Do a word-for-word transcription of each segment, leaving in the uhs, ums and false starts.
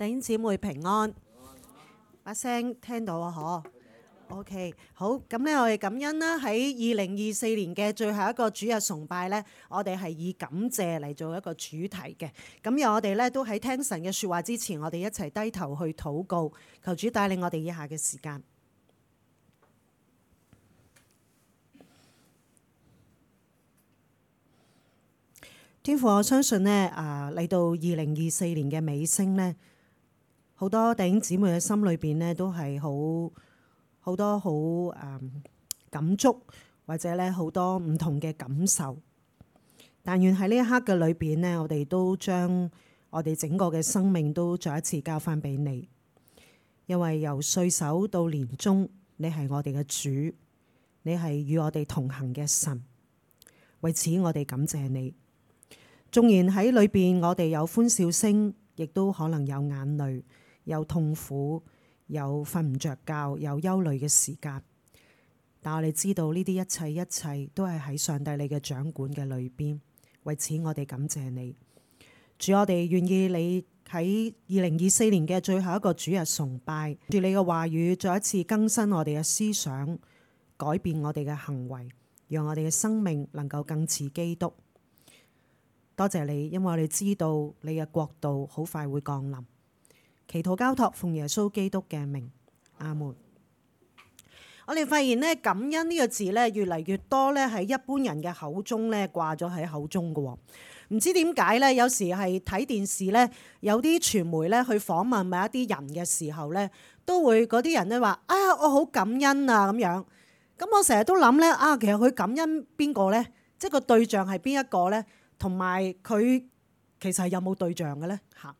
弟兄姊妹平安，把聲聽到啊？嗬 ，OK， 好，咁咧我哋感恩啦。喺二零二四年嘅最後一個主日崇拜咧，我哋係以感謝嚟做一個主題嘅。咁由我哋咧都喺聽神嘅説話之前，我哋一齊低頭去禱告，求主帶領我哋以下嘅時間。天父，我相信呢，啊嚟到二零二四年嘅尾聲呢，好多弟兄姊妹嘅心裏邊呢，都係好好多好誒、嗯、感觸，或者咧好多唔同嘅感受。但願喺呢一刻嘅裏邊呢，我哋都將我哋整個嘅生命都再一次交翻俾你，因為由歲首到年終，你係我哋嘅主，你係與我哋同行嘅神。為此，我哋感謝你。縱然喺裏邊，我哋有歡笑聲，亦都可能有眼淚，有痛苦，有瞓唔着覺，有憂慮嘅時間。但我哋知道呢啲一切一切都係喺上帝你嘅掌管嘅裏邊。為此，我哋感謝你。主，我哋願意你喺二零二四年嘅最後一個主日崇拜，住你嘅話語再一次更新我哋嘅思想，改變我哋嘅行為，讓我哋嘅生命能夠更似基督。多謝你，因為我哋知道你嘅國度好快會降臨。祈禱交託奉耶穌基督嘅名，阿門。我哋發現咧，感恩呢個字咧越嚟越多咧喺一般人嘅口中咧掛咗喺口中嘅。唔知點解咧？有時係睇電視咧，有啲傳媒咧去訪問某一啲人嘅時候咧，都會嗰啲人咧話：啊，我好感恩啊咁樣。咁我成日都諗咧，啊，其實佢感恩邊個咧？即係個對象係邊一個咧？同埋佢其實係有冇對象嘅咧？嚇！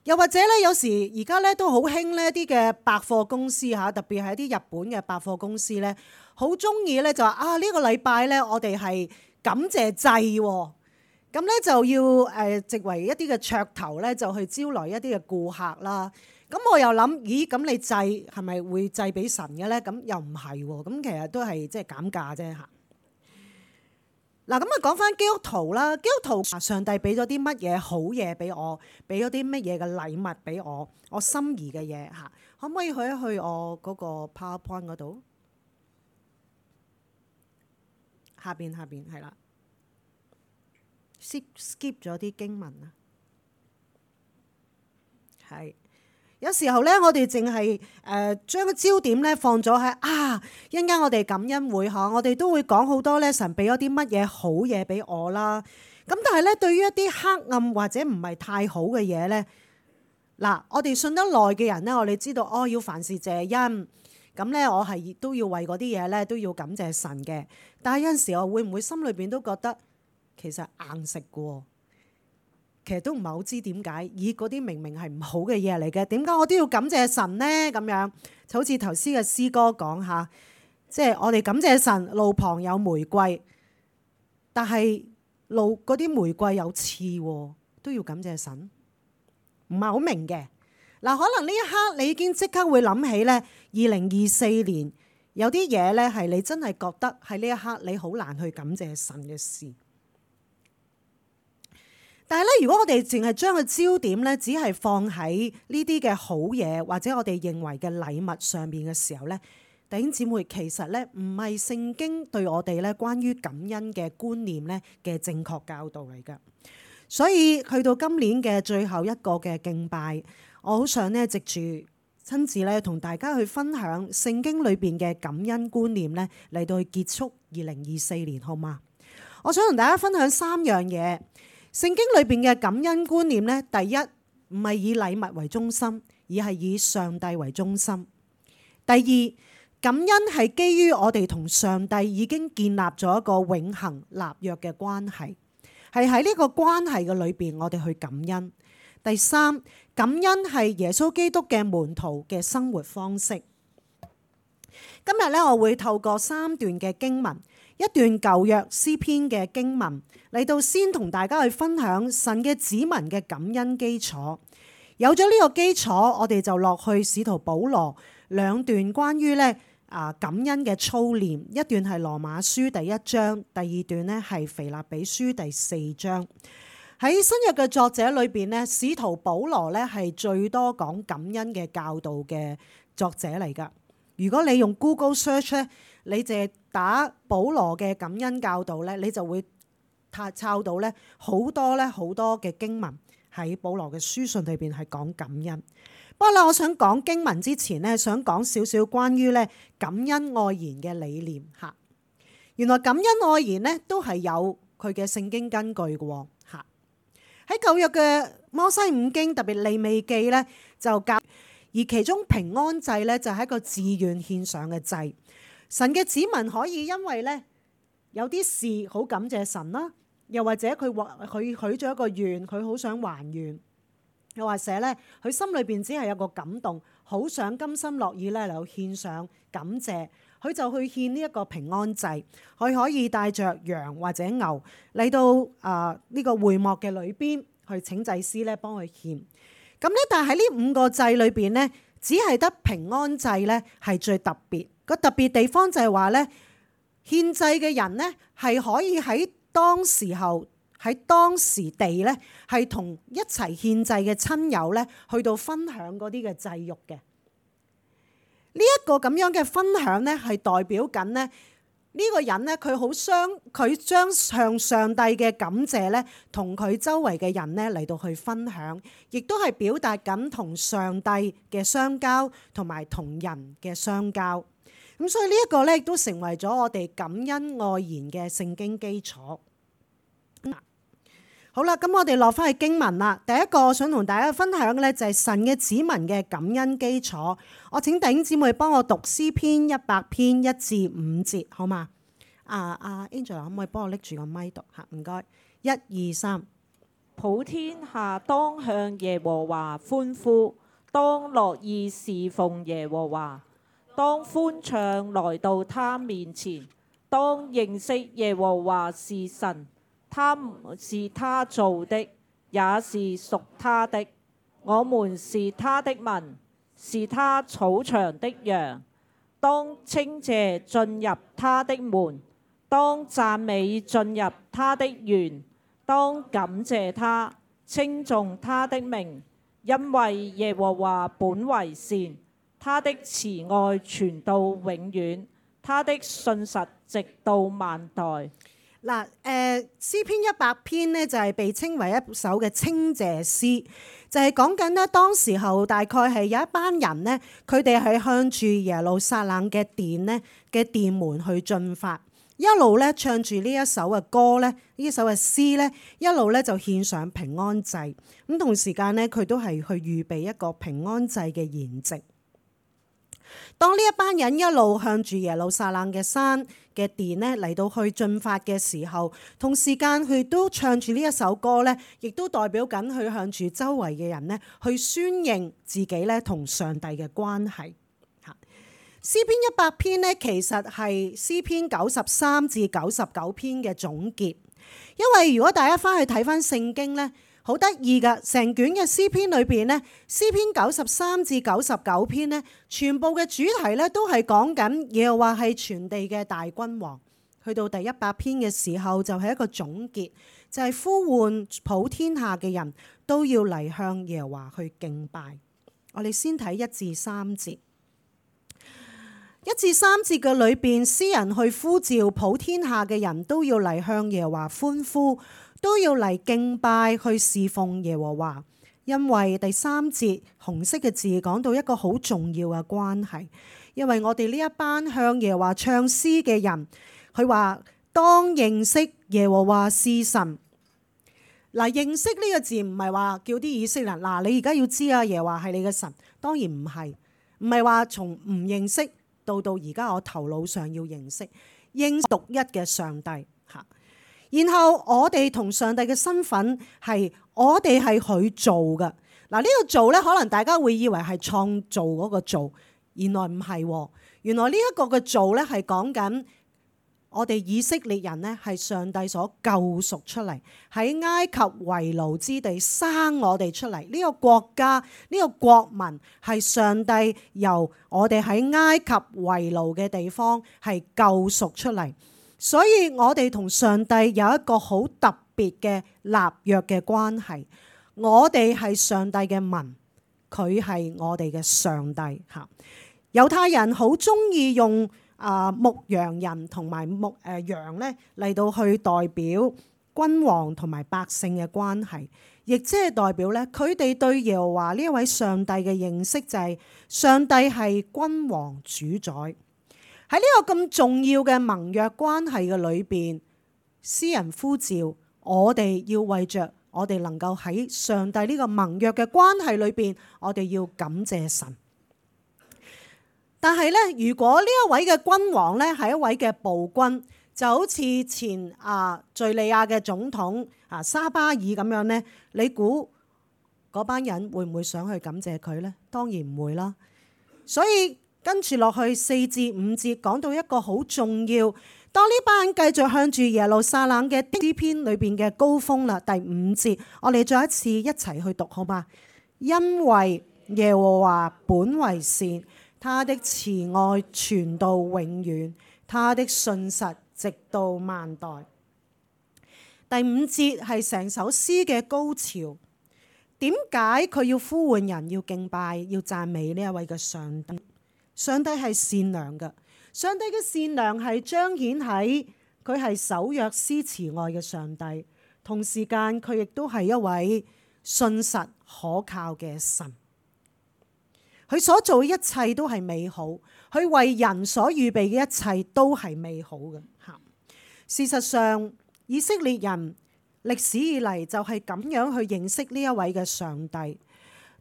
又或者咧，有時而家咧都好興呢啲嘅百貨公司嚇，特別係一啲日本嘅百貨公司咧，好中意咧就話啊呢個禮拜咧，我哋係感謝祭喎，咁咧就要誒藉為一啲嘅噱頭咧，就去招來一啲嘅顧客啦。咁我又諗，咦咁你祭係咪會祭俾神嘅咧？咁又唔係喎，咁其實都係即係減價啫嚇。嗱，咁啊講翻基督徒啦，基督徒上帝俾咗啲乜嘢好嘢俾我，俾咗啲乜嘢嘅禮物俾我，我心儀嘅嘢嚇，可唔可以去一去我嗰個 PowerPoint 嗰度？下邊下邊係啦 ，skip skip 咗啲經文啊，係。有時候咧，我哋淨係誒將個焦點咧放咗喺啊，一陣間我哋感恩會嚇，我哋都會講好多咧，神俾咗啲乜嘢好嘢俾我啦。咁但係咧，對於一啲黑暗或者唔係太好嘅嘢咧，嗱，我哋信得耐嘅人咧，我哋知道哦，要凡事謝恩。咁咧，我係都要為嗰啲嘢咧都要感謝神嘅。但係有陣時我會唔會心裏邊都覺得其實硬食嘅喎？其實都唔係好知點解，咦嗰啲明明係唔好嘅嘢嚟嘅，點解我都要感謝神呢？咁樣就好似頭先嘅詩歌講下，即係我哋感謝神，路旁有玫瑰，但係路嗰啲玫瑰有刺喎，都要感謝神，唔係好明嘅。嗱，可能呢一刻你已經即刻會諗起咧，二零二四年有啲嘢咧係你真係覺得喺呢一刻你好難去感謝神嘅事。但係咧，如果我哋淨係將個焦點咧，只係放喺呢啲嘅好嘢或者我哋認為嘅禮物上面嘅時候咧，弟兄姊妹，其實咧唔係聖經對我哋咧關於感恩嘅觀念咧嘅正確教導嚟㗎。所以去到今年嘅最後一個嘅敬拜，我好想咧藉住親自咧同大家去分享聖經裏邊嘅感恩觀念咧，嚟到去結束二零二四年，好嗎？我想同大家分享三樣嘢。聖經裏邊嘅感恩觀念咧，第一唔係以禮物為中心，而係以上帝為中心。第二，感恩係基於我哋同上帝已經建立咗一個永恆立約嘅關係，係喺呢個關係嘅裏邊，我哋去感恩。第三，感恩係耶穌基督嘅門徒嘅生活方式。今日咧，我會透過三段嘅經文，一段舊約詩篇嘅經文嚟到先同大家去分享神嘅子民嘅感恩基礎。有咗呢個基礎，我哋就落去使徒保羅兩段關於咧啊感恩嘅操練，一段係羅馬書第一章，第二段咧係腓立比書第四章。喺新約嘅作者裏邊咧，使徒保羅咧係最多講感恩嘅教導嘅作者嚟㗎。如果你用 Google Search 咧，你淨係打保羅嘅感恩教導咧，你就會抄到咧好多咧好多嘅經文喺保羅嘅書信裏邊係講感恩。不過咧，我想講經文之前咧，想講少少關於咧感恩愛言嘅理念嚇。原來感恩愛言咧都係有佢嘅聖經根據嘅喎嚇。喺舊約嘅摩西五經，特別利未記咧就教，而其中平安祭咧就係一個自願獻上嘅祭。神嘅子民可以因為咧有啲事好感謝神啦，又或者佢話佢許咗一個願，佢好想還願，又或者咧佢心裏邊只係有個感動，好想甘心樂意咧嚟獻上感謝，佢就去獻呢一個平安祭。佢可以帶着羊或者牛嚟到啊呢個會幕嘅裏邊去請祭司咧幫佢獻。咁咧，但係喺呢五個祭裏邊咧，只係得平安祭咧係最特別。個特別地方就係話咧，獻祭嘅人咧係可以喺當時候喺當時地咧係同一齊獻祭嘅親友咧去到分享嗰啲嘅祭肉嘅。呢一個咁樣嘅分享咧係代表緊咧呢個人咧佢好相佢將向上帝嘅感謝咧同佢周圍嘅人咧嚟到去分享，亦都係表達緊同上帝嘅相交同埋同人嘅相交。咁所以呢一個咧亦都成為咗我哋感恩愛言嘅聖經基礎。好啦，咁我哋落翻去經文啦。第一個我想同大家分享嘅咧就係神嘅子民嘅感恩基礎。我請弟兄姊妹幫我讀詩篇一百篇一至五節，好嘛？啊啊 Angela 可唔可以幫我拎住個咪讀吓？唔該，一二三。普天下當向耶和華歡呼，當樂意侍奉耶和華。當歡唱來到他面前，當認識耶和華是神，他是他造的，也是屬他的。我們是他的民，是他草場的羊。當稱謝進入他的門，當讚美進入他的園，當感謝他，稱頌他的名，因為耶和華本為善。他的慈愛傳到永遠，他的信實直到萬代。嗱，誒詩篇一百篇呢，就係被稱為一首嘅稱謝詩，就係講緊呢當時候大概係有一班人呢，佢哋係向住耶路撒冷嘅殿呢嘅殿門去進發，一路咧唱住呢一首嘅歌咧，呢一首嘅詩咧，一路咧就獻上平安祭。咁同時間呢，佢都係去預備一個平安祭嘅筵席。當呢一班人一路向住耶路撒冷嘅山嘅殿咧嚟到去進發嘅時候，同時間佢都唱住呢一首歌咧，亦都代表緊佢向住周圍嘅人咧去宣認自己咧同上帝嘅關係。嚇，詩篇一百篇咧其實係詩篇九十三至九十九篇嘅總結，因為如果大家翻去睇翻聖經咧，好得意噶，成卷嘅詩篇裏邊咧，詩篇九十三至九十九篇咧，全部嘅主題咧都係講緊耶和華係全地嘅大君王。去到第一百篇嘅時候，就係一個總結，就係呼喚普天下嘅人都要嚟向耶和華去敬拜。我哋先睇一至三節，一至三節嘅裏邊，詩人去呼召普天下嘅人都要嚟向耶和華歡呼，都要嚟敬拜去侍奉耶和華。因為第三節紅色嘅字講到一個好重要嘅關係，因為我哋呢一班向耶和華唱詩嘅人，佢話當認識耶和華是神。嗱，認識呢個字唔係話叫啲以色列人嗱，你而家要知啊，耶和華係你嘅神，當然唔係，唔係話從唔認識到到而家我頭腦上要認識，認識獨一嘅上帝嚇。然後我哋同上帝嘅身份係，我哋係佢做嘅。嗱，呢個做咧，可能大家會以為係創造嗰個做，原來唔係。原來呢一個嘅做咧係講緊我哋以色列人咧係上帝所救贖出嚟，喺埃及為奴之地生我哋出嚟。呢個國家，呢個國民係上帝由我哋喺埃及為奴嘅地方係救贖出嚟。所以我哋同上帝有一個好特別嘅立約嘅關係。我哋係上帝嘅民，佢係我哋嘅上帝嚇。猶太人好中意用啊牧羊人同埋牧誒羊咧嚟到去代表君王同埋百姓嘅關係，亦即係代表咧佢哋對耶和華呢一位上帝嘅認識就係上帝係君王主宰。喺呢個咁重要嘅盟約關係嘅裏邊，詩人呼召我哋要為着我哋能夠喺上帝呢個盟約嘅關係裏邊，我哋要感謝神。但係咧，如果呢一位嘅君王咧係一位嘅暴君，就好似前啊敘利亞嘅總統啊沙巴爾咁樣咧，你估嗰班人會唔會想去感謝佢呢？當然唔會啦。所以跟住落去四至五節講到一個好重要，當呢班人繼續向住耶路撒冷嘅詩篇裏邊嘅高峰啦。第五節，我哋再一次一齊去讀好嗎？因為耶和華本為善，他的慈愛傳到永遠，他的信實直到萬代。第五節係成首詩嘅高潮。點解佢要呼喚人要敬拜、要讚美呢一位嘅上帝？上帝係善良嘅，上帝嘅善良係彰顯喺佢係守約施慈愛嘅上帝，同時間佢亦都係一位信實可靠嘅神。佢所做嘅一切都係美好，佢為人所預備嘅一切都係美好嘅。事實上，以色列人歷史以嚟就係咁樣去認識呢一位嘅上帝。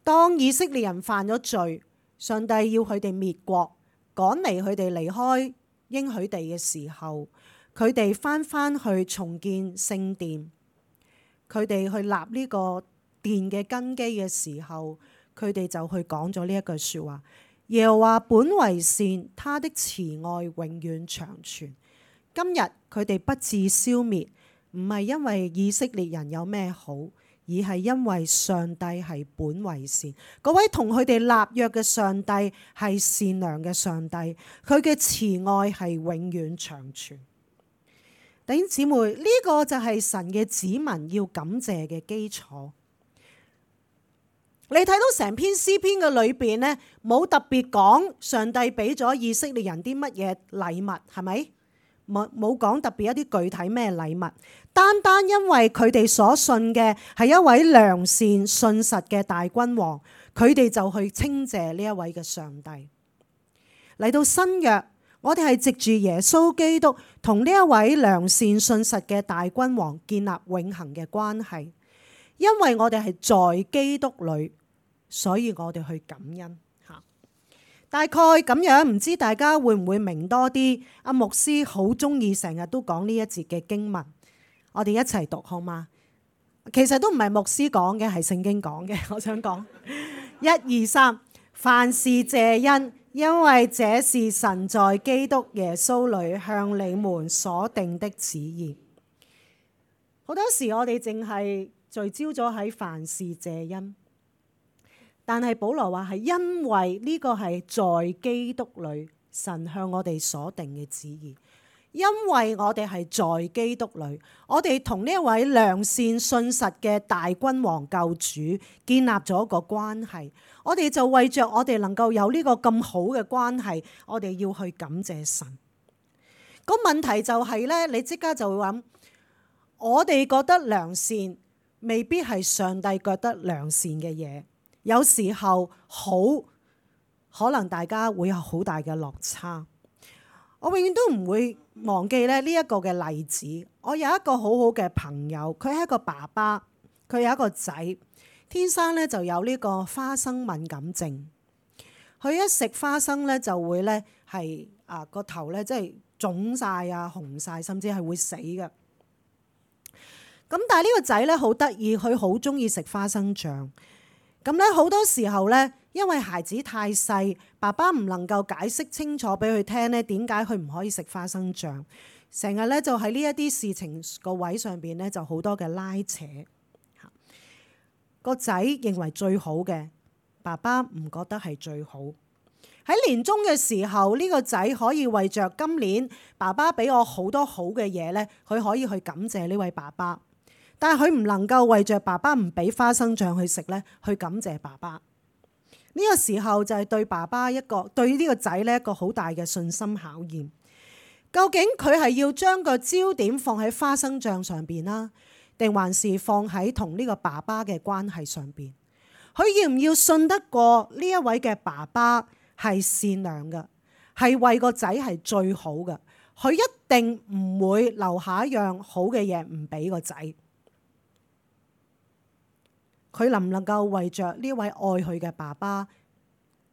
當以色列人犯咗罪，上帝要佢哋滅國，趕離佢哋離開應許地嘅時候，佢哋翻翻去重建聖殿，佢哋去立呢個殿嘅根基嘅時候，佢哋就去講咗呢一句說話：耶和華本為善，他的慈愛永遠長存。今日佢哋不致消滅，唔係因為以色列人有咩好，而係因為上帝係本為善。嗰位同佢哋立約嘅上帝係善良嘅上帝，佢嘅慈愛係永遠長存。弟兄姊妹，呢個就係神嘅子民要感謝嘅基礎。你睇到成篇詩篇嘅裏邊呢，冇特別講上帝俾咗以色列人啲乜嘢禮物，係咪？冇冇講特別一啲具體咩禮物，單單因為佢哋所信嘅係一位良善信實嘅大君王，佢哋就去稱謝呢一位嘅上帝。嚟到新約，我哋係藉住耶穌基督同呢一位良善信實嘅大君王建立永恆嘅關係，因為我哋係在基督裏，所以我哋去感恩。大概咁樣，唔知大家會唔會明多啲？阿牧師好中意成日都講呢一節嘅經文，我哋一齊讀好嗎？其實都唔係牧師講嘅，係聖經講嘅。我想講一二三，凡事謝恩，因為這是神在基督耶穌裏向你們所定的旨意。好多時我哋淨係聚焦咗喺凡事謝恩。但係保羅話係因為呢個係在基督裏神向我哋所定嘅旨意，因為我哋係在基督裏，我哋同呢一位良善信實嘅大君王救主建立咗一個關係，我哋就為着我哋能夠有呢個咁好嘅關係，我哋要去感謝神。個問題就係咧，你即刻就會諗，我哋覺得良善未必係上帝覺得良善嘅嘢。有時候好可能大家會有好大嘅落差。我永遠都唔會忘記咧呢一個嘅例子。我有一個好好嘅朋友，佢係一個爸爸，佢有一個仔，天生咧就有呢個花生敏感症。佢一食花生咧就會咧係啊個頭咧即係腫晒啊紅晒，甚至係會死嘅。咁但係呢個仔咧好得意，佢好中意食花生醬。咁咧好多時候咧，因為孩子太細，爸爸唔能夠解釋清楚俾佢聽咧，點解佢唔可以食花生醬，成日咧就喺呢一啲事情個位上邊咧就好多嘅拉扯。個仔認為最好嘅，爸爸唔覺得係最好。喺年終嘅時候，呢個仔可以為着今年爸爸俾我好多好嘅嘢咧，佢可以去感謝呢位爸爸。但係佢唔能夠為着爸爸唔俾花生醬去食咧，去感謝爸爸。呢個時候就係對爸爸一個對呢個仔咧一個好大嘅信心考驗。究竟佢係要將個焦點放喺花生醬上邊啦，定還是放喺同呢個爸爸嘅關係上邊？佢要唔要信得過呢一位嘅爸爸係善良嘅，係為個仔係最好嘅？佢一定唔會留下一樣好嘅嘢唔俾個仔。佢能唔能夠為着呢位愛佢嘅爸爸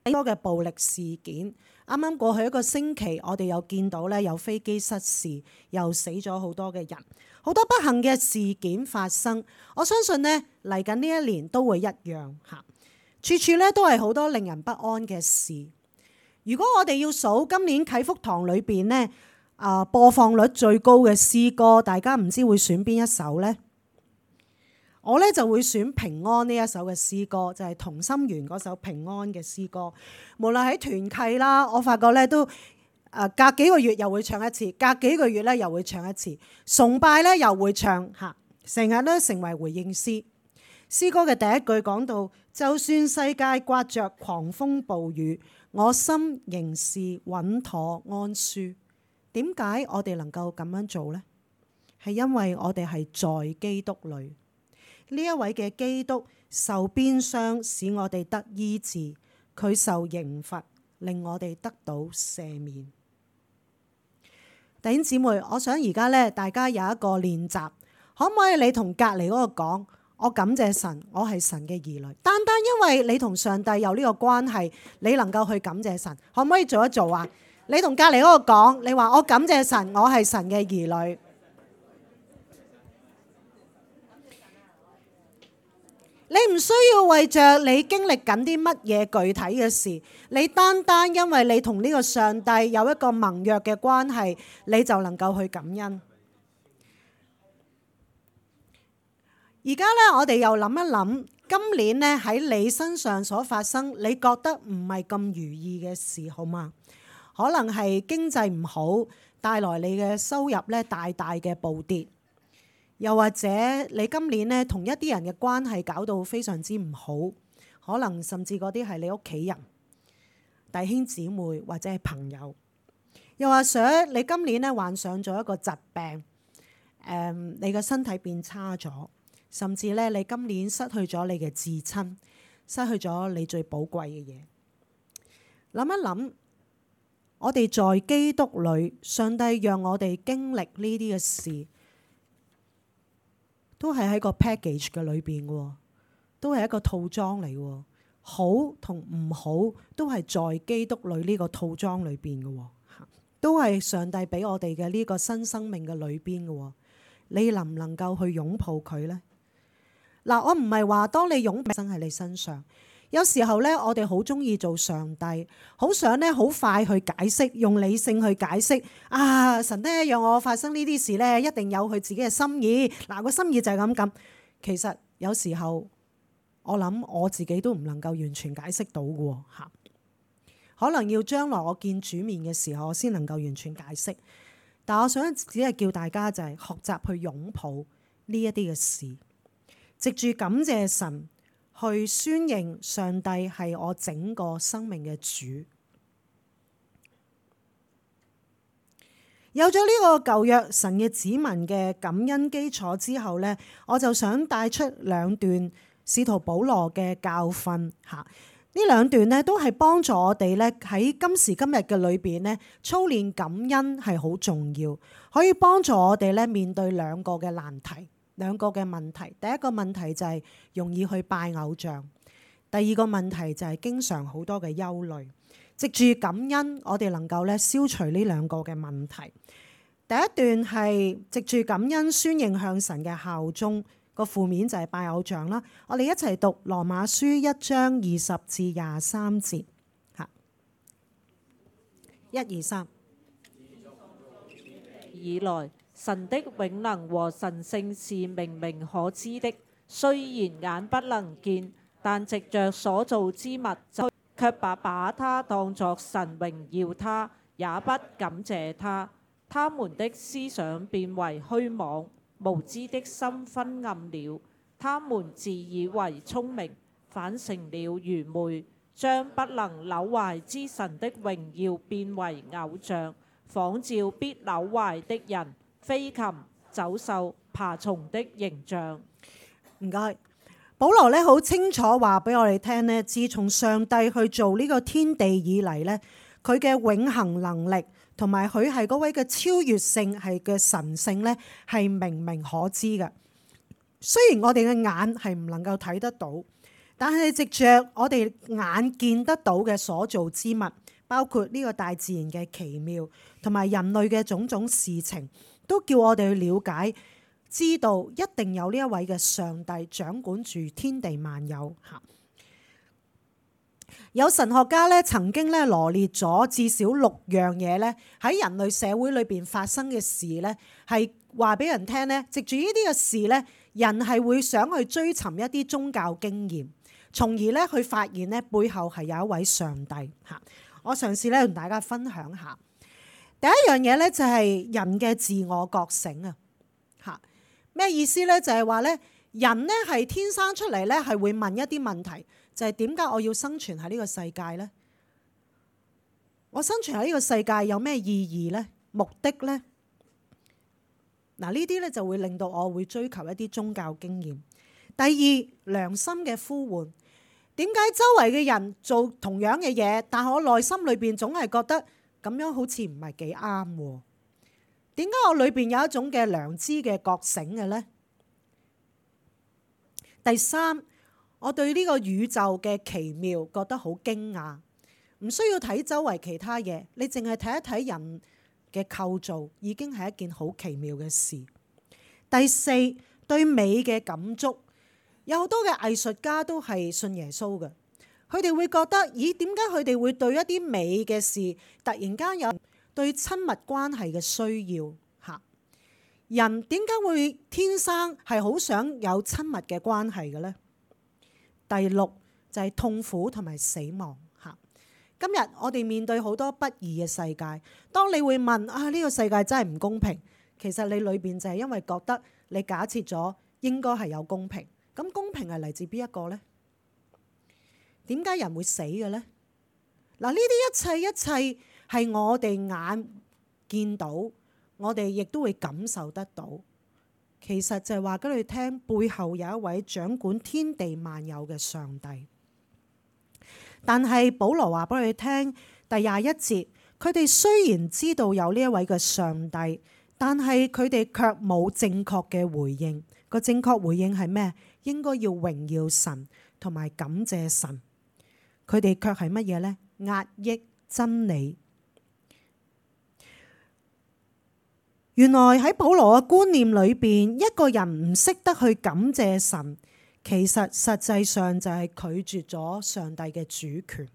多嘅暴力事件？啱啱過去一個星期，我哋又見到咧有飛機失事，又死咗好多嘅人，好多不幸嘅事件發生。我相信呢嚟緊呢一年都會一樣嚇，處處咧都係好多令人不安嘅事。如果我哋要數今年啟福堂裏邊呢啊播放率最高嘅詩歌，大家唔知會選邊一首呢？我咧就會選平安呢一首嘅詩歌，就係同心圓嗰首平安嘅詩歌。無論喺團契啦，我發覺咧都誒隔幾個月又會唱一次，隔幾個月咧又會唱一次。崇拜咧又會唱嚇，成日都成為回應詩。詩歌嘅第一句講到：就算世界刮着狂風暴雨，我心仍是穩妥安舒。點解我哋能夠咁樣做呢？係因為我哋係在基督裏。呢一位嘅基督受鞭傷，使我哋得醫治；佢受刑罰，令我哋得到赦免。弟兄姊妹，我想而家咧，大家有一個練習，可唔可以你同隔離嗰個講：我感謝神，我係神嘅兒女。單單因為你同上帝有呢個關係，你能夠去感謝神，可唔可以做一做啊？你同隔離嗰個講，你話我感謝神，我係神嘅兒女。你唔需要為着你經歷緊啲乜嘢具體嘅事，你單單因為你同呢個上帝有一個盟約嘅關係，你就能夠去感恩。而家咧，我哋又諗一諗，今年咧喺你身上所發生，你覺得唔係咁如意嘅事，好嗎？可能係經濟唔好，帶來你嘅收入咧大大嘅暴跌。又或者你今年咧同一啲人嘅關係搞到非常之唔好，可能甚至嗰啲係你屋企人、弟兄姊妹或者係朋友。又或者你今年咧患上咗一個疾病，誒，你嘅身體變差咗，甚至咧你今年失去咗你嘅至親，失去咗你最寶貴嘅嘢。諗一諗，我哋在基督裏，上帝讓我哋經歷呢啲嘅事。都係喺個 package 嘅裏邊嘅，都係一個套裝嚟嘅。好同唔好都係在基督裏呢個套裝裏邊嘅，都係上帝俾我哋嘅呢個新生命嘅裏邊嘅。你能唔能夠去擁抱佢呢？嗱，我唔係話當你擁抱生喺你身上，有時候咧，我哋好中意做上帝，好想咧好快去解釋，用理性去解釋。啊，神咧讓我發生呢啲事咧，一定有佢自己嘅心意。嗱，個心意就係咁咁。其實有時候我諗我自己都唔能夠完全解釋到嘅嚇，可能要將來我見主面嘅時候，我先能夠完全解釋。但我想只係叫大家就係學習去擁抱呢一啲嘅事，藉住感謝神。去宣認上帝係我整個生命嘅主。有咗呢個舊約神嘅子民嘅感恩基礎之後呢，我就想帶出兩段使徒保羅嘅教訓嚇。呢兩段呢都係幫助我哋呢喺今時今日嘅裏邊呢操練感恩係好重要，可以幫助我哋呢面對兩個嘅難題。兩個嘅問題，第一個問題就係容易去拜偶像，第二個問題就係經常好多嘅憂慮。藉住感恩，我哋能夠咧消除呢兩個嘅問題。第一段係藉住感恩宣認向神嘅效忠，個負面就係拜偶像啦。我哋一齊讀羅馬書一章二十至廿三節嚇，一二三。以來，神的永能和神性是明明可知的，雖然眼不能見，但藉着所造之物，卻把把他當作神榮耀他，也不感謝他。他們的思想變為虛妄，無知的心昏暗了，他們自以為聰明，反成了愚昧，將不能朽壞之神的榮耀變為偶像，仿照必朽壞的人、飛禽、走獸、爬蟲的形象。唔該，保羅咧好清楚話俾我哋聽咧，自從上帝去做呢個天地以嚟咧，佢嘅永恆能力同埋佢係嗰位嘅超越性係嘅神性咧，係明明可知嘅。雖然我哋嘅眼係唔能夠睇得到，但係藉着我哋眼見得到嘅所造之物，包括呢個大自然嘅奇妙同埋人類嘅種種事情，都叫我哋去了解。知道一定有呢一位嘅上帝掌管住天地萬有。有神學家咧曾經咧羅列咗至少六樣嘢咧喺人類社會裏邊發生嘅事咧，係話俾人聽咧，藉住呢啲嘅事咧，人係會想去追尋一啲宗教經驗，從而咧去發現咧背後係有一位上帝嚇。我嘗試咧同大家分享下第一樣嘢咧，就係人嘅自我覺醒啊嚇。咩意思咧？就係話咧，人咧係天生出嚟咧，係會問一啲問題，就係點解我要生存喺呢個世界咧？我生存喺呢個世界有咩意義咧？目的咧？嗱，呢啲咧就會令到我會追求一啲宗教經驗。第二，良心嘅呼喚，點解周圍嘅人做同樣嘅嘢，但係我內心裏邊總係覺得咁樣好似唔係幾啱喎？點解我裏邊有一種嘅良知嘅覺醒嘅呢？第三，我對呢個宇宙嘅奇妙覺得好驚訝，唔需要睇周圍其他嘢，你淨係睇一睇人嘅構造已經係一件好奇妙嘅事。第四，對美嘅感觸，有好多嘅藝術家都係信耶穌嘅，佢哋會覺得，咦，點解佢哋會對一啲美嘅事突然間有對親密關係嘅需要嚇？人點解會天生係好想有親密嘅關係嘅呢？第六就係痛苦同埋死亡嚇。今日我哋面對好多不義嘅世界，當你會問啊，呢個世界真係唔公平，其實你裏邊就係因為覺得你假設咗應該係有公平。咁公平係嚟自邊一個呢？點解人會死嘅呢？嗱，呢啲一切一切係我哋眼見到，我哋亦都會感受得到。其實就係話俾你聽，背後有一位掌管天地萬有嘅上帝。但係保羅話俾你聽，第廿一節，佢哋雖然知道有呢一位嘅上帝，但係佢哋卻冇正確嘅回應。個正確回應係咩？應該要榮耀神同埋感謝神。佢哋卻係乜嘢呢？壓抑真理。原來喺保羅嘅觀念裏邊，一個人唔識得去感謝神，其實實際上就係拒絕咗上帝嘅主權，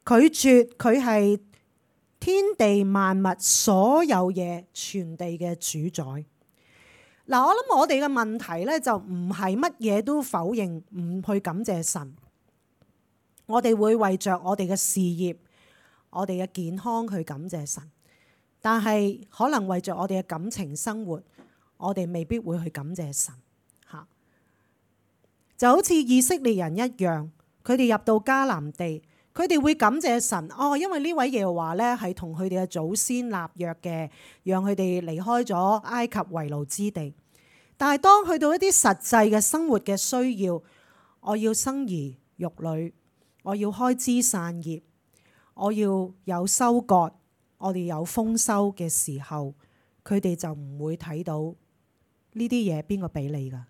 拒絕佢係天地萬物所有嘢全地嘅主宰。嗱，我諗我哋嘅問題咧就唔係乜嘢都否認，唔去感謝神。我哋會為着我哋嘅事業、我哋嘅健康去感謝神，但係可能為着我哋嘅感情生活，我哋未必會去感謝神。嚇，就好似以色列人一樣，佢哋入到迦南地，佢哋會感謝神。哦，因為呢位耶和華咧係同佢哋嘅祖先立約嘅，讓佢哋離開咗埃及為奴之地。但係當去到一啲實際嘅生活嘅需要，我要生兒育女，我要開枝散葉，我要有收割，我哋有豐收嘅時候，佢哋就唔會睇到呢啲嘢邊個俾你㗎？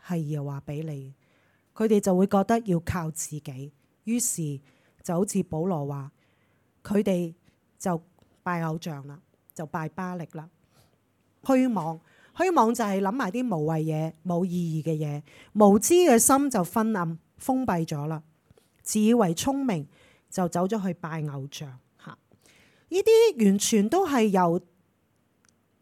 係耶和華俾你，佢哋就會覺得要靠自己。於是就好似保羅話，佢哋就拜偶像啦，就拜巴力啦，虛妄。虛妄就係諗埋啲無謂嘢、冇意義嘅嘢，無知嘅心就昏暗封閉咗啦。自以為聰明就走咗去拜偶像嚇。呢啲完全都係由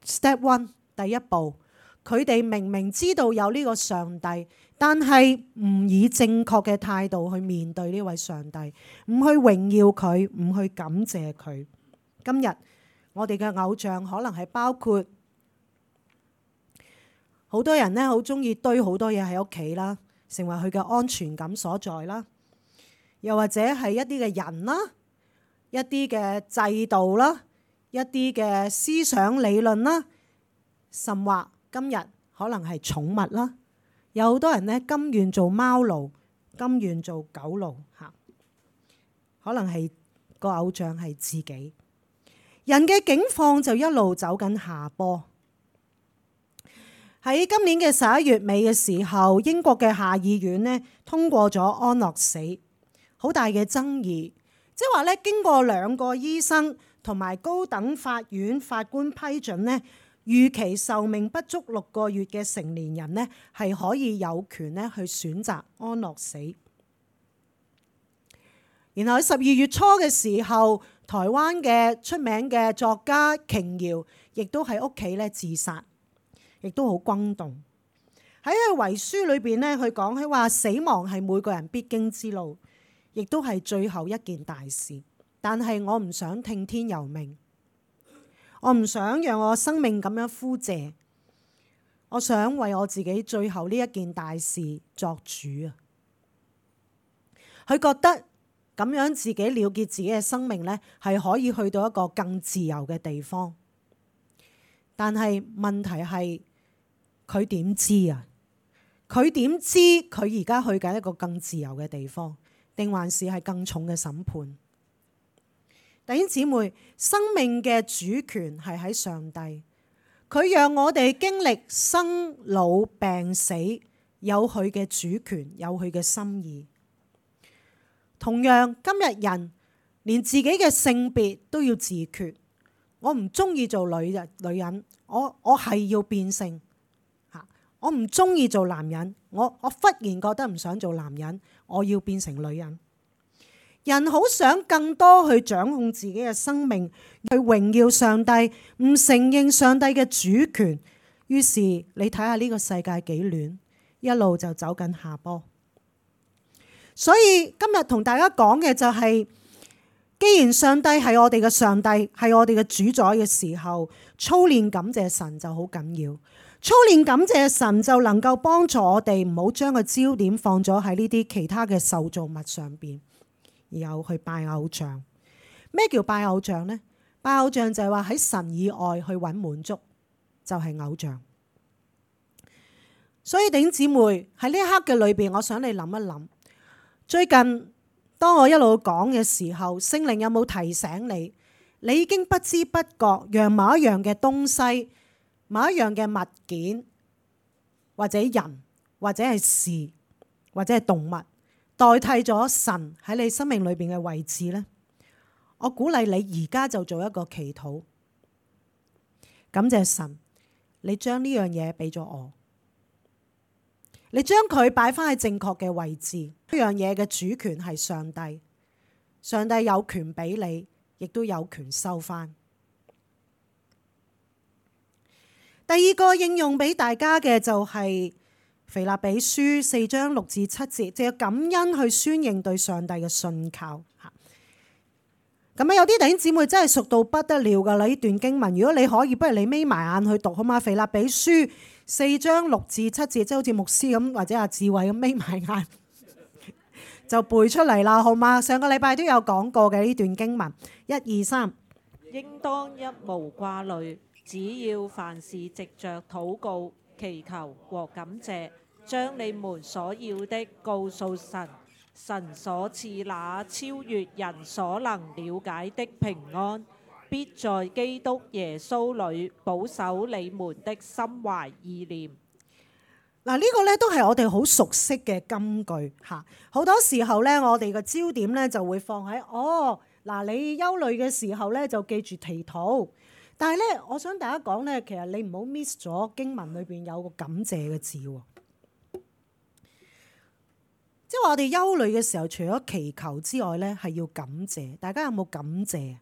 step one 第一步，佢哋明明知道有呢個上帝，但係唔以正確嘅態度去面對呢位上帝，唔去榮耀佢，唔去感謝佢。今日我哋嘅偶像可能係包括好多人咧好中意堆好多嘢喺屋企啦，成為佢嘅安全感所在啦。又或者係一啲嘅人啦，一啲嘅制度啦，一啲嘅思想理論啦，甚或今日可能係寵物啦。有好多人咧甘願做貓奴，甘願做狗奴嚇，可能係個偶像係自己。人嘅境況就一路走緊下坡。喺今年嘅十一月尾嘅時候，英國嘅下議院呢通過咗安樂死，好大嘅爭議。即係話咧，經過兩個醫生同埋高等法院法官批准呢，預期壽命不足六個月嘅成年人呢係可以有權咧去選擇安樂死。然後喺十二月初嘅時候，台灣嘅出名嘅作家瓊瑤亦都喺屋企咧自殺。亦都好轟動。喺佢遺書裏邊咧，佢講佢話死亡係每個人必經之路，亦都係最後一件大事。但係我唔想聽天由命，我唔想讓我生命咁樣枯謝，我想為我自己最後呢一件大事作主啊！佢覺得咁樣自己了結自己嘅生命咧，係可以去到一個更自由嘅地方。但係問題係，佢點知啊？佢點知佢而家去緊一個更自由嘅地方，定還是係更重嘅審判？弟兄姊妹，生命嘅主權係喺上帝，佢讓我哋經歷生老病死，有佢嘅主權，有佢嘅心意。同樣，今日人連自己嘅性別都要自決，我唔中意做女人，女人，我我係要變性。我唔中意做男人，我我忽然覺得唔想做男人，我要變成女人。人好想更多去掌控自己嘅生命，去榮耀上帝，唔承認上帝嘅主權。於是你睇下呢個世界幾亂，一路就走緊下坡。所以今日同大家講嘅就係，既然上帝係我哋嘅上帝，係我哋嘅主宰嘅時候，操練感謝神就好緊要。操練感謝神就能夠幫助我哋唔好將個焦點放咗喺呢啲其他嘅受造物上邊，然後去拜偶像。咩叫拜偶像呢？拜偶像就係話喺神以外去揾滿足，就係偶像。所以弟兄姊妹喺呢一刻嘅裏邊，我想你諗一諗，最近當我一路講嘅時候，聖靈有冇提醒你？你已經不知不覺讓某一樣嘅東西，某一樣嘅物件，或者人，或者係事，或者係動物，代替咗神喺你生命裏邊嘅位置呢？我鼓勵你而家就做一個祈禱，感謝神，你將呢樣嘢俾咗我，你將佢擺翻喺正確嘅位置。呢樣嘢嘅主權係上帝，上帝有權俾你，亦都有權收翻。第二個應用俾大家嘅就係腓立比書四章六至七節，就要感恩去宣認對上帝嘅信靠。咁啊，有啲弟兄姊妹真係熟到不得了噶啦！呢段經文，如果你可以，不如你眯埋眼去讀好嘛？腓立比書四章六至七節，即係好似牧師咁或者阿智慧咁眯埋眼就背出嚟啦，好嘛？上個禮拜都有講過嘅呢段經文，一二三，應當一無掛慮。只要凡事藉着禱告、祈求和感謝，將你們所要的告訴神，神所賜那超越人所能了解的平安，必在基督耶穌裏保守你們的心懷意念。嗱，呢個咧都係我哋好熟悉嘅金句嚇。好多時候咧，我哋嘅焦點咧就會放喺哦，嗱，你憂慮嘅時候咧就記住祈禱。但係咧，我想大家講咧，其實你唔好 miss 咗經文裏邊有個感謝嘅字喎。即係話我哋憂慮嘅時候，除咗祈求之外咧，係要感謝。大家有冇感謝？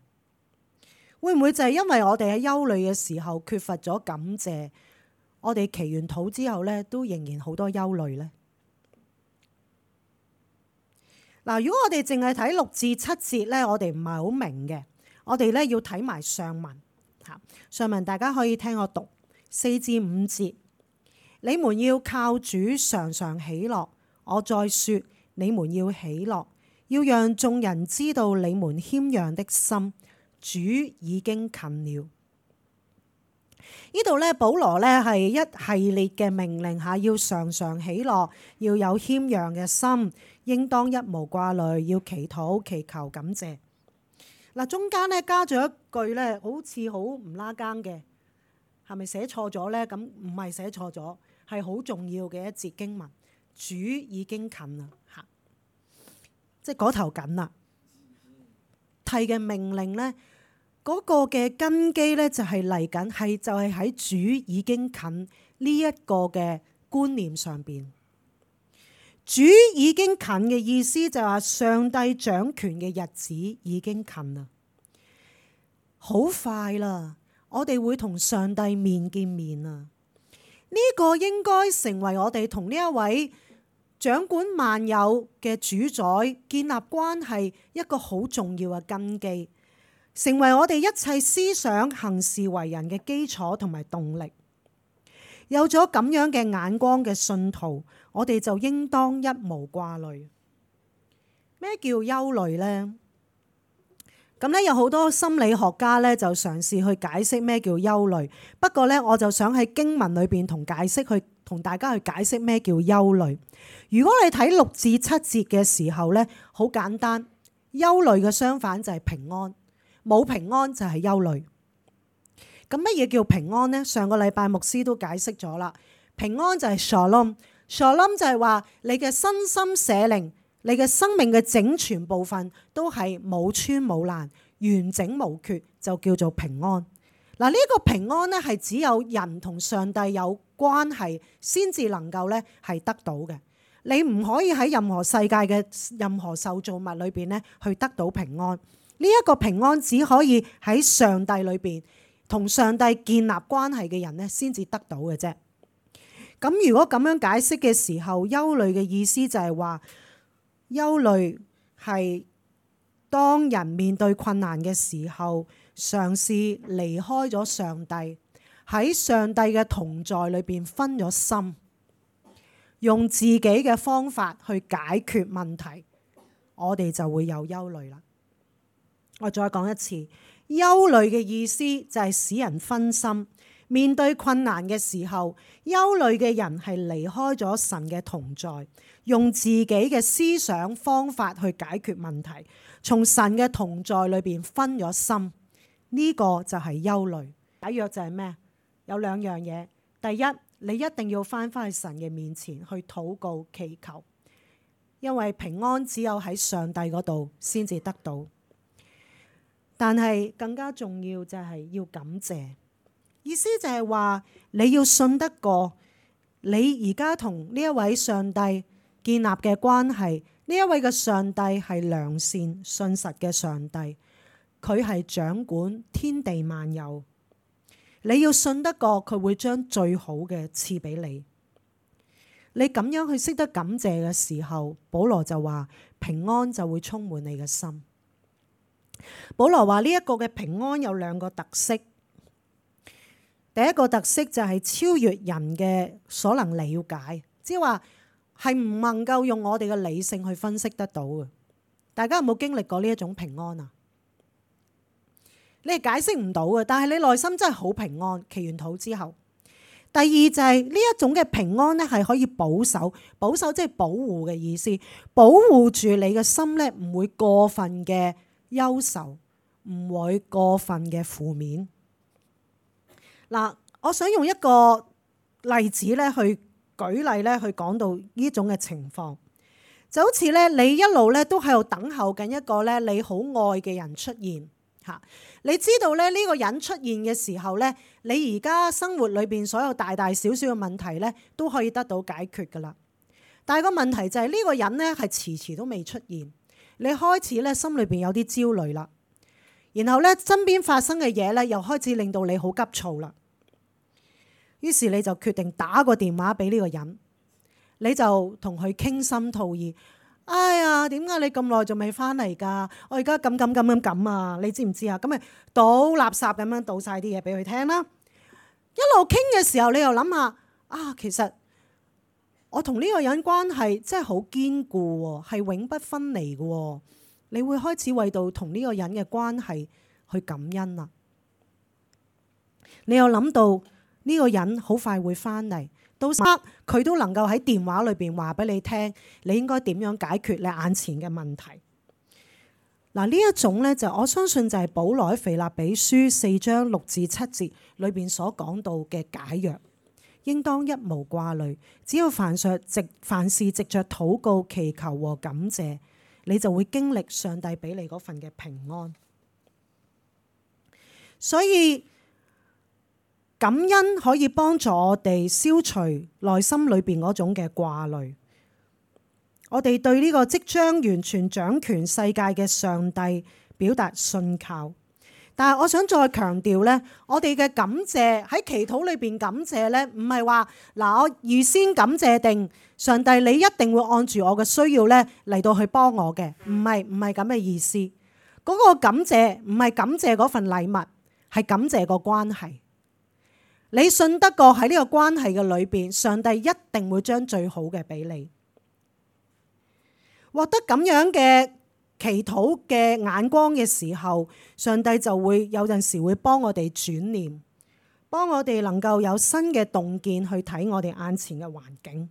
會唔會就係因為我哋喺憂慮嘅時候缺乏咗感謝，我哋祈完禱之後咧，都仍然好多憂慮咧？嗱，如果我哋淨係睇六至七節咧，我哋唔係好明嘅，我哋咧要睇埋上文。上文大家可以聽我讀四至五節。你們要靠主常常喜樂。我再說，你們要喜樂，要讓眾人知道你們謙讓的心，主已經近了。呢度咧，保羅咧係一系列嘅命令下，要常常喜樂，要有謙讓嘅心，應當一無掛慮，要祈禱、祈求、感謝。嗱，中間咧加咗一句咧，好似好唔拉更嘅，係咪寫錯咗咧？咁唔係寫錯咗，係好重要嘅一節經文。主已經近啦，嚇，即係嗰頭緊啦。提嘅命令咧，嗰個嘅根基咧就係嚟緊，係就係喺主已經近呢一個嘅觀念上邊。主已經近嘅意思就係話上帝掌權嘅日子已經近啦，好快啦，我哋會同上帝面見面啊！呢個應該成為我哋同呢一位掌管萬有嘅主宰建立關係一個好重要嘅根基，成為我哋一切思想行事為人嘅基礎同埋動力。有咗咁樣嘅眼光嘅信徒，我哋就應當一無掛慮。咩叫憂慮呢？咁咧有好多心理學家咧就嘗試去解釋咩叫憂慮。不過咧，我就想喺經文裏邊同解釋去同大家去解釋咩叫憂慮。如果你睇六至七節嘅時候咧，好簡單，憂慮嘅相反就係平安，冇平安就係憂慮。咁乜嘢叫平安呢？上個禮拜牧師都解釋咗啦。平安就係 shalom，shalom 就係話你嘅身心社靈，你嘅生命嘅整全部分都係冇穿冇爛，完整無缺，就叫做平安。嗱，呢個平安咧係只有人同上帝有關係先至能夠咧係得到嘅。你唔可以喺任何世界嘅任何受造物裏邊咧去得到平安。呢一個平安只可以喺上帝裏邊同上帝建立關係嘅人咧先至得到嘅啫。咁如果咁樣解釋嘅時候，憂慮嘅意思就係話，憂慮係當人面對困難嘅時候，嘗試離開咗上帝，喺上帝嘅同在裏邊分咗心，用自己嘅方法去解決問題，我哋就會有憂慮啦。我再講一次，憂慮嘅意思就係使人分心。面對困難嘅時候，憂慮嘅人係離開咗神嘅同在，用自己嘅思想方法去解決問題，從神嘅同在裏邊分咗心，呢個就係憂慮。解藥就係咩？有兩樣嘢。第一，你一定要翻返去神嘅面前去禱告祈求，因為平安只有喺上帝嗰度先至得到。但係更加重要就係要感謝。意思就係話你要信得過你而家同呢一位上帝建立嘅關係，呢一位嘅上帝係良善信實嘅上帝，佢係掌管天地萬有。你要信得過佢會將最好嘅賜俾你。你咁樣去識得感謝嘅時候，保羅就話平安就會充滿你嘅心。保羅話呢一個嘅平安有兩個特色。第一個特色就係超越人嘅所能了解，即係話係唔能夠用我哋嘅理性去分析得到嘅。大家有冇經歷過呢一種平安啊？你係解釋唔到嘅，但係你內心真係好平安。祈完禱之後，第二就係呢一種嘅平安咧，係可以保守，保守即係保護嘅意思，保護住你嘅心咧，唔會過分嘅憂愁，唔會過分嘅負面。嗱，我想用一個例子咧，去舉例咧，去講到呢種嘅情況，就好似咧，你一路咧都喺度等候緊一個咧你好愛嘅人出現嚇。你知道咧呢個人出現嘅時候咧，你而家生活裏邊所有大大小小嘅問題咧都可以得到解決噶啦。但係個問題就係呢個人咧係遲遲都未出現，你開始咧心裏邊有啲焦慮啦，然後咧身邊發生嘅嘢咧又開始令到你好急躁啦。於是你就決定打個電話俾呢個人，你就同佢傾心吐意。哎呀，點解你咁耐仲未翻嚟㗎？我而家咁咁咁咁咁啊！你知唔知啊？咁咪倒垃圾咁樣倒晒啲嘢俾佢聽啦。一路傾嘅時候，你又諗下啊，其實我同呢個人關係真係好堅固喎，係永不分離嘅喎。你會開始為到同呢個人嘅關係去感恩啦。你又諗到呢個人好快會翻嚟，到時佢都能夠喺電話裏邊話俾你聽，你應該點樣解決你眼前嘅問題。嗱，呢一種咧就我相信就係保羅喺腓立比書四章六至七節裏邊所講到嘅解藥，應當一無掛慮，只要凡事藉凡事藉着禱告、祈求和感謝，你就會經歷上帝俾你嗰份嘅平安。所以感恩可以幫助我哋消除內心裏邊嗰種嘅掛慮。我哋對呢個即將完全掌權世界嘅上帝表達信靠。但係我想再強調呢，我哋嘅感謝喺祈禱裏邊感謝呢，唔係話嗱我預先感謝定上帝你一定會按住我嘅需要呢嚟到去幫我嘅，唔係唔係咁嘅意思。嗰個感謝唔係感謝嗰份禮物，係感謝個關係。你信得過喺呢個關係嘅裏邊，上帝一定會將最好嘅俾你。獲得咁樣嘅祈禱嘅眼光嘅時候，上帝就會有陣時會幫我哋轉念，幫我哋能夠有新嘅洞見去睇我哋眼前嘅環境。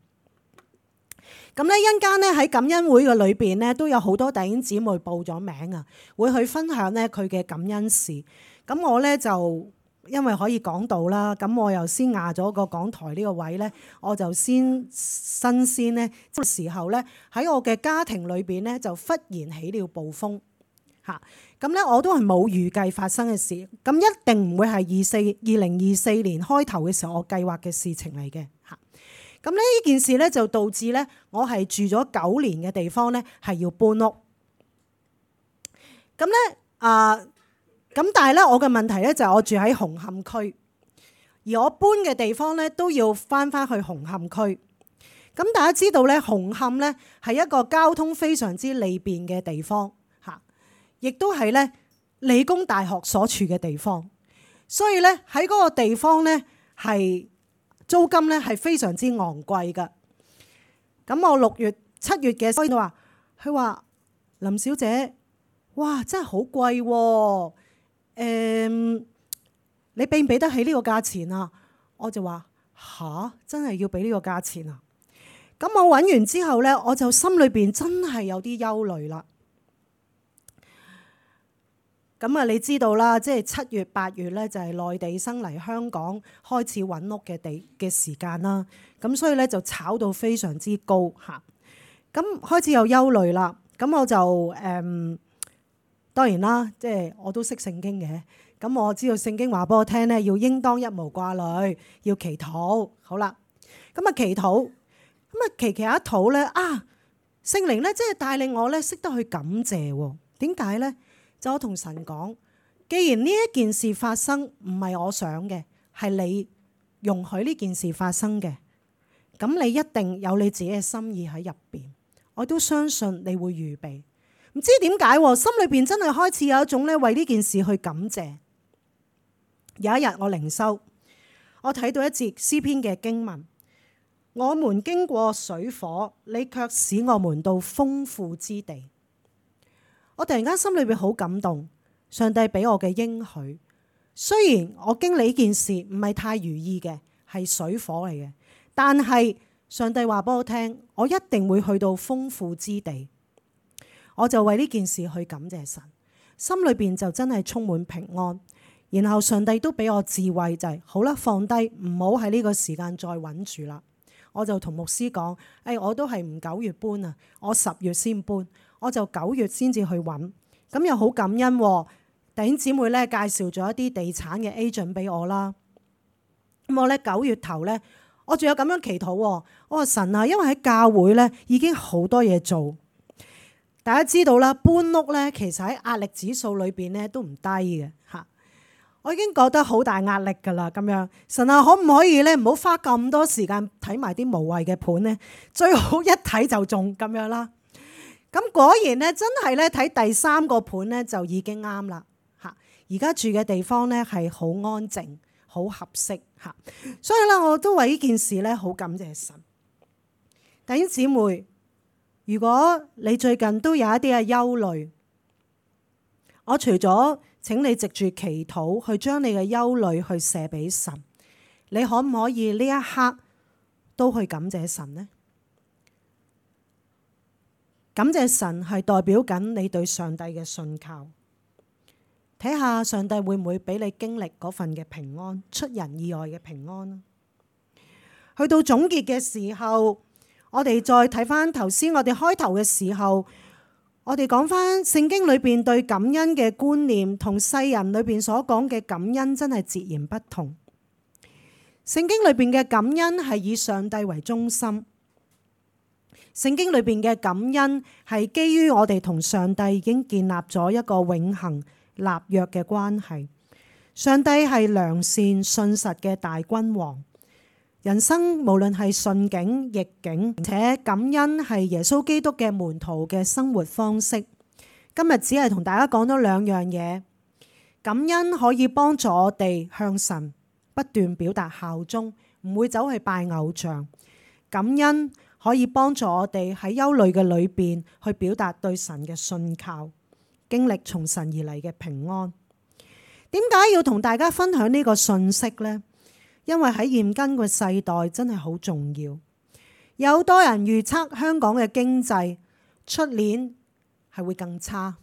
咁呢，一陣間咧喺感恩會嘅裏邊咧，都有好多弟兄姊妹報咗名啊，會去分享咧佢嘅感恩事。咁我咧就因為可以講到啦，咁我又先壓咗個講台呢個位咧，我就先新鮮咧，即時候咧喺我嘅家庭裏邊咧就忽然起了暴風嚇，咁咧我都係冇預計發生嘅事，咁一定唔會係二四二零二四年開頭嘅時候我計劃嘅事情嚟嘅嚇。咁咧呢件事咧就導致咧我係住咗九年嘅地方咧係要搬屋，咁咧啊。呃咁但係咧，我嘅問題咧就係我住喺紅磡區，而我搬嘅地方咧都要翻翻去紅磡區。咁大家知道咧，紅磡咧係一個交通非常之利便嘅地方嚇，亦都係咧理工大學所處嘅地方。所以咧喺嗰個地方咧係租金咧係非常之昂貴㗎。咁我六月七月嘅時候話，佢話林小姐，哇真係好貴喎！誒、嗯，你俾唔俾得起呢個價錢啊？我就話吓，真係要俾呢個價錢啊！咁我揾完之後呢，我就心裏邊真係有啲憂慮啦。咁啊，你知道啦，即係七月八月呢，就係內地生嚟香港開始揾屋嘅地嘅時間啦。咁所以呢，就炒到非常之高嚇。咁開始有憂慮啦。咁我就誒。嗯當然啦，即係我都識聖經嘅，咁我知道聖經話俾我聽咧，要應當一無掛慮，要祈禱。好啦，咁啊祈禱，咁啊祈祈一禱咧啊，聖靈咧即係帶領我咧識得去感謝喎。點解咧？就我同神講，既然呢一件事發生唔係我想嘅，係你容許呢件事發生嘅，咁你一定有你自己嘅心意喺入邊，我都相信你會預備。唔知點解，心裏邊真係開始有一種咧為呢件事去感謝。有一日我靈修，我睇到一節詩篇嘅經文，我們經過水火，你卻使我們到豐富之地。我突然間心裏邊好感動，上帝俾我嘅應許。雖然我經歷呢件事唔係太如意嘅，係水火嚟嘅，但係上帝話俾我聽，我一定會去到豐富之地。我就為呢件事去感謝神，心裏邊就真係充滿平安。然後上帝都俾我智慧，就係、是、好啦，放低，唔好喺呢個時間再揾住啦。我就同牧師講，誒、哎，我都係唔九月搬啊，我十月先搬，我就九月先至去揾。咁又好感恩，弟兄姊妹咧介紹咗一啲地產嘅 agent 俾我啦。咁我咧九月頭咧，我仲有咁樣祈禱，我話神啊，因為喺教會咧已經好多嘢做。大家知道啦，搬屋咧，其實喺壓力指數裏邊咧都唔低嘅嚇。我已經覺得好大壓力㗎啦，咁樣神啊，可唔可以咧唔好花咁多時間睇埋啲無謂嘅盤咧？最好一睇就中咁樣啦。咁果然咧，真係咧睇第三個盤咧就已經啱啦嚇。而家住嘅地方咧係好安靜、好合適嚇。所以咧，我都為呢件事咧好感謝神。弟兄姊妹，如果你最近都有一啲嘅憂慮，我除咗請你藉住祈禱去將你嘅憂慮去卸俾神，你可唔可以呢一刻都去感謝神呢？感謝神係代表緊你對上帝嘅信靠，睇下上帝會唔會俾你經歷嗰份嘅平安，出人意外嘅平安。去到總結嘅時候，我哋再睇翻頭先我哋開頭嘅時候，我哋講翻聖經裏邊對感恩嘅觀念同世人裏邊所講嘅感恩真係截然不同。聖經裏邊嘅感恩係以上帝為中心。聖經裏邊嘅感恩係基於我哋同上帝已經建立咗一個永恆立約嘅關係。上帝係良善信實嘅大君王，人生無論係順境逆境，而且感恩係耶穌基督嘅門徒嘅生活方式。今日只係同大家講咗兩樣嘢，感恩可以幫助我哋向神不斷表達效忠，唔會走去拜偶像。感恩可以幫助我哋喺憂慮嘅裏邊去表達對神嘅信靠，經歷從神而嚟嘅平安。點解要同大家分享呢個信息呢？因為喺現今嘅世代真係好重要。有好多人預測香港嘅經濟出年係會更差，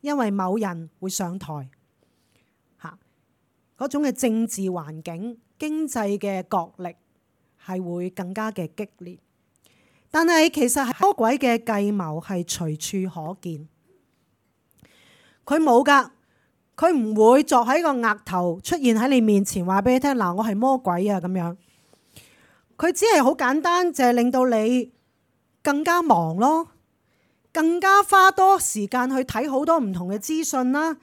因為某人會上台，嚇嗰種嘅政治環境、經濟嘅角力係會更加嘅激烈。但係其實魔鬼嘅計謀係隨處可見，佢冇㗎，佢唔會作喺個額頭出現喺你面前話俾你聽，嗱，我係魔鬼啊咁樣。佢只係好簡單，就係令到你更加忙咯，更加花多時間去睇好多唔同嘅資訊啦，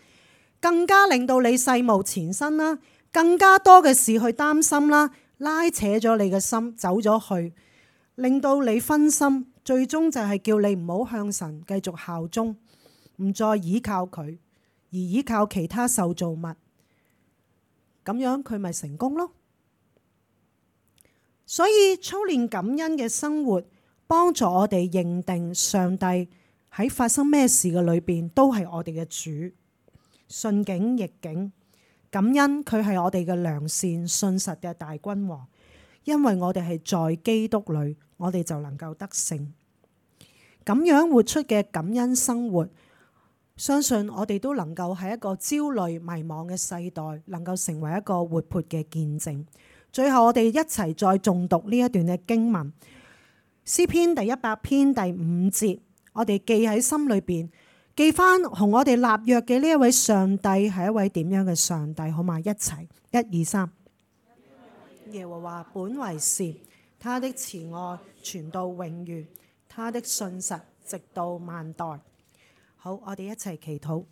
更加令到你世無前身啦，更加多嘅事去擔心啦，拉扯咗你嘅心走咗去，令到你分心，最終就係叫你唔好向神繼續效忠，唔再倚靠佢，而倚靠其他受造物，咁樣佢咪成功咯。所以操練感恩嘅生活，幫助我哋認定上帝喺發生咩事嘅裏邊都係我哋嘅主，順境逆境，感恩佢係我哋嘅良善信實嘅大君王。因為我哋係在基督裏，我哋就能夠得勝。咁樣活出嘅感恩生活，相信我哋都能夠喺一個焦慮迷茫嘅世代，能夠成為一個活潑嘅見證。最後我哋一齊再誦讀呢一段嘅經文，詩篇第一百篇第五節，我哋記喺心裏邊，記翻同我哋立約嘅呢一位上帝係一位點樣嘅上帝，好嘛？一齊，一二三。耶和華本為善，他的慈愛傳到永遠，他的信實直到萬代。好，我哋一齊祈禱。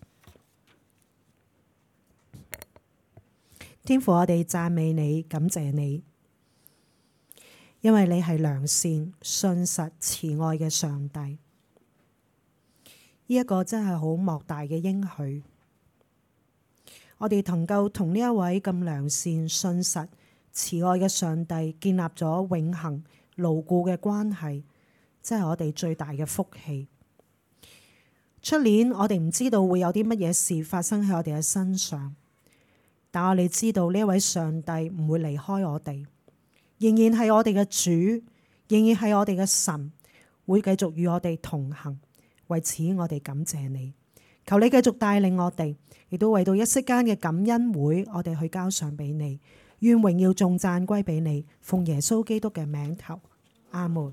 天父，我哋讚美你，感謝你，因為你係良善、信實、慈愛嘅上帝。呢、這、一個真係好莫大嘅應許。我哋能夠同呢一位咁良善、信實、慈愛嘅上帝建立咗永恆牢固嘅關係，真係我哋最大嘅福氣。出年我哋唔知道會有啲乜嘢事發生喺我哋嘅身上，但我哋知道呢一位上帝唔會離開我哋，仍然係我哋嘅主，仍然係我哋嘅神，會繼續與我哋同行。為此我哋感謝你，求你繼續帶領我哋，亦都為到一息間嘅感恩會，我哋去交上俾你。願榮耀頌讚歸俾你，奉耶穌基督嘅名頭，阿門。